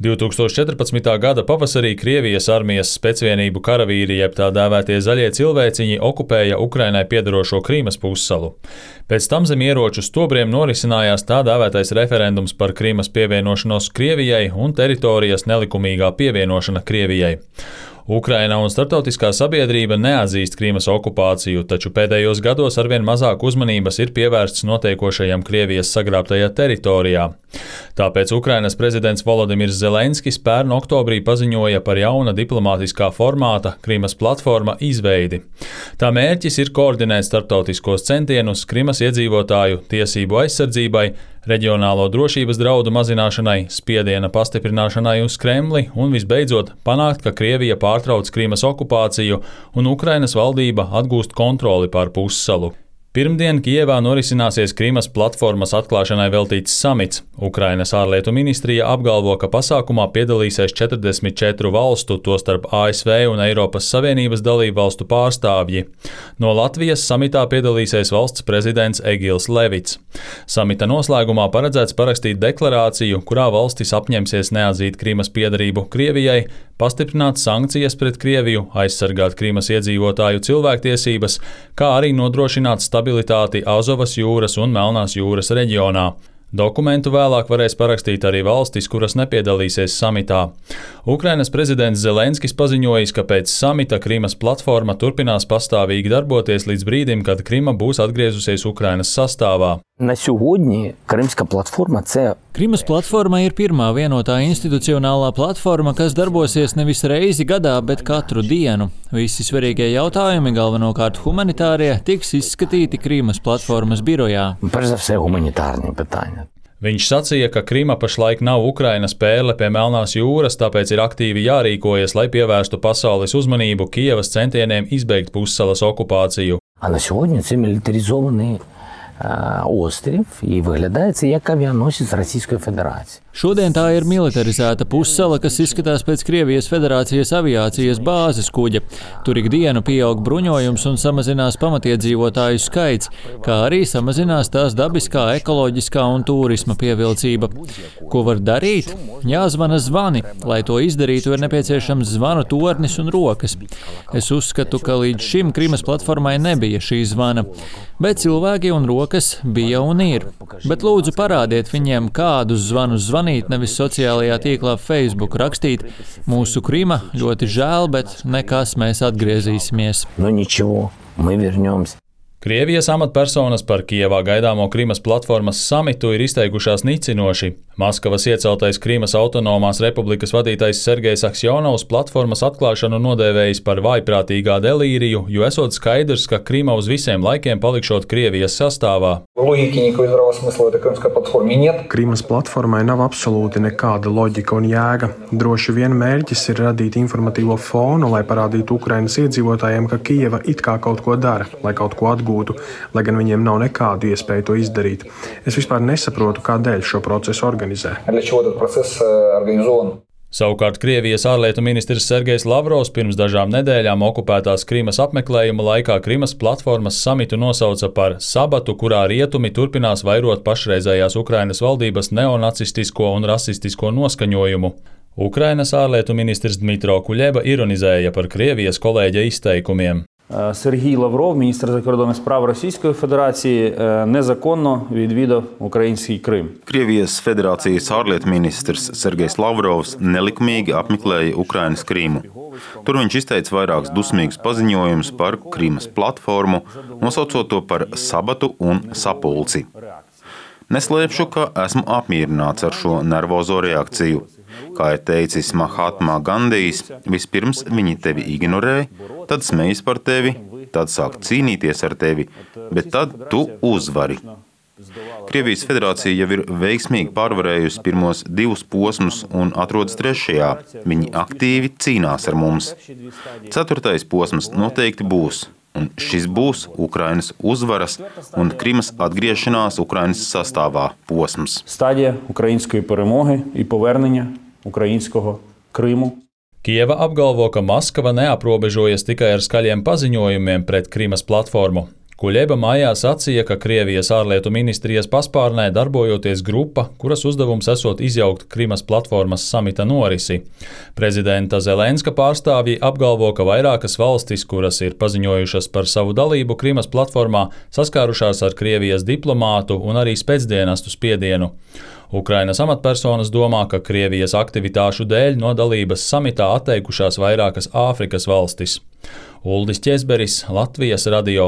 2014. gada pavasarī Krievijas armijas specvienību karavīri, jeb tā dēvētie zaļie cilvēciņi, okupēja Ukrainai piederošo Krīmas pussalu. Pēc tam zem ieroču stobriem norisinājās tā dēvētais referendums par Krīmas pievienošanos Krievijai un teritorijas nelikumīgā pievienošana Krievijai. Ukraina un starptautiskā sabiedrība neatzīst Krīmas okupāciju, taču pēdējos gados arvien mazāk uzmanības ir pievērsts notiekošajam Krievijas sagrābtajā teritorijā. Tāpēc Ukrainas prezidents Volodimirs Zelenskis pērn oktobrī paziņoja par jauna diplomātiskā formāta Krīmas platforma izveidi. Tā mērķis ir koordinēt starptautiskos centienus Krīmas iedzīvotāju tiesību aizsardzībai, reģionālo drošības draudu mazināšanai, spiediena pastiprināšanai uz Kremli un visbeidzot panākt, ka Krievija pārtrauc Krīmas okupāciju un Ukrainas valdība atgūst kontroli pār pussalu. Pirmdien Kijevā norisināsies Krīmas platformas atklāšanai veltīts samits. Ukrainas ārlietu ministrija apgalvo, ka pasākumā piedalīsies 44 valstu, tostarp ASV un Eiropas Savienības dalību valstu pārstāvji. No Latvijas samitā piedalīsies valsts prezidents Egils Levits. Samita noslēgumā paredzēts parakstīt deklarāciju, kurā valstis apņemsies neatzīt Krīmas piederību Krievijai, pastiprināt sankcijas pret Krieviju, aizsargāt Krīmas iedzīvotāju cilvēktiesības, kā arī nodrošināt stabilitāti Azovas jūras un Melnās jūras reģionā. Dokumentu vēlāk varēs parakstīt arī valstis, kuras nepiedalīsies samitā. Ukrainas prezidents Zelenskis paziņojis, ka pēc samita Krīmas platforma turpinās pastāvīgi darboties līdz brīdim, kad Krīma būs atgriezusies Ukrainas sastāvā. На сьогодні Кримська платформа – це Krīmas platforma ir pirmā vienotā institucionālā platforma, kas darbosies nevis reizi gadā, bet katru dienu. Visi svarīgie jautājumi, galvenokārt humanitārie, tiks izskatīti Krīmas platformas birojā. перш за все гуманітарні питання. Viņš sacīja, ka Krīma pašlaik nav Ukrainas pērle pie Melnās jūras, tāpēc ir aktīvi jārīkojas, lai pievērstu pasaules uzmanību Kijevas centieniem izbeigt pussalas okupāciju. А на сьогодні це мілітаризований острів і виглядає це як авіаносець Російської Федерації. Šodien tā ir militarizēta pussala, kas izskatās pēc Krievijas Federācijas aviācijas bāzes kuģa. Tur ikdienu pieaug bruņojums un samazinās pamatiedzīvotāju skaits, kā arī samazinās tās dabiskā, ekoloģiskā un turisma pievilcība. Ko var darīt? Jāzvana zvani. Lai to izdarītu, ir nepieciešams zvanu tornis un rokas. Es uzskatu, ka līdz šim Krīmas platformai nebija šī zvana, bet cilvēki un rokas bija un ir. Bet lūdzu parādiet viņiem, kādus zvanus zvanīt, nevis sociālajā tīklā Facebook rakstīt. Mūsu Krīma ļoti žēl, bet nekas, mēs atgriezīsimies. Ну нічого, ми вернемся. Krievijas amatpersonas par Kijevā gaidāmo Krīmas platformas samitu ir izteikušās nicinoši. Maskavas ieceltais Krīmas autonomās republikas vadītājs Sergejs Aksjonovs platformas atklāšanu nodēvējis par vājprātīgā delīriju, jo esot skaidrs, ka Krīma uz visiem laikiem palikšot Krievijas sastāvā. Krīmas platformai nav absolūti nekāda loģika un jēga. Droši vien mērķis ir radīt informatīvo fonu, lai parādītu Ukrainas iedzīvotājiem, ka Kijeva it kā kaut ko dara, lai kaut ko atgūtu, lai gan viņiem nav nekādu iespēju to izdarīt. Es vispār nesaprotu, kādēļ šo procesu organizē. Savukārt Krievijas ārlietu ministrs Sergejs Lavrovs pirms dažām nedēļām okupētās Krīmas apmeklējuma laikā Krīmas platformas samitu nosauca par sabatu, kurā rietumi turpinās vairot pašreizējās Ukrainas valdības neonacistisko un rasistisko noskaņojumu. Ukrainas ārlietu ministrs Dmitro Kuļeba ironizēja par Krievijas kolēģa izteikumiem. Сергій Лавров, міністр закордонних справ Російської Федерації, незаконно відвідав український Крим. Krievijas Federācijas ārlietu ministrs Sergejs Lavrovs nelikumīgi apmeklēja Ukrainas Krīmu. Tur viņš izteica vairākus dusmīgus paziņojumus par Krīmas platformu, nosaucot to par sabatu un sapulci. Neslēpšu, ka esmu apmierināts ar šo nervozo reakciju. Kā ir teicis Mahatma Gandijs, vispirms viņi tevi ignorē, tad smejas par tevi, tad sāk cīnīties ar tevi, bet tad tu uzvari. Krievijas Federācija jau ir veiksmīgi pārvarējusi pirmos 2 posmus un atrodas 3. Viņi aktīvi cīnās ar mums. 4. posms noteikti būs. Un šis būs Ukrainas uzvaras un Krīmas atgriešanās Ukrainas sastāvā posms. Стадія української перемоги і повернення українського Криму. Kijeva apgalvo, ka Maskava neaprobežojas tikai ar skaļiem paziņojumiem pret Krīmas platformu. Kuļeba maijā sacīja, ka Krievijas ārlietu ministrijas paspārnē darbojoties grupa, kuras uzdevums esot izjaukt Krimas platformas samita norisi. Prezidenta Zelenska pārstāvji apgalvo, ka vairākas valstis, kuras ir paziņojušas par savu dalību Krimas platformā, saskārušās ar Krievijas diplomātu un arī spēcdienestu spiedienu. Ukrainas amatpersonas domā, ka Krievijas aktivitāšu dēļ no dalības samitā atteikušās vairākas Āfrikas valstis. Uldis Ķezberis, Latvijas radio.